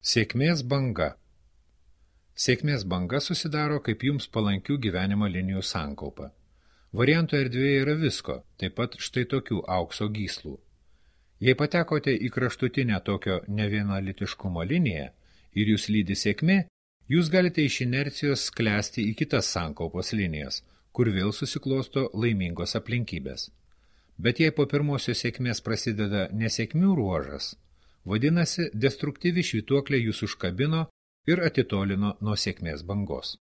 Sėkmės banga. Sėkmės banga susidaro kaip jums palankių gyvenimo linijų sankaupa. Variantų erdvėje yra visko, taip pat štai tokių aukso gyslų. Jei patekote į kraštutinę tokio nevienalitiškumo liniją ir jūs lydi sėkmė, jūs galite iš inercijos sklęsti į kitas sankaupos linijas, kur vėl susiklosto laimingos aplinkybės. Bet jei po pirmosios sėkmės prasideda nesėkmių ruožas, vadinasi, destruktyvi švytuoklė jūs užkabino ir atitolino nuo sėkmės bangos.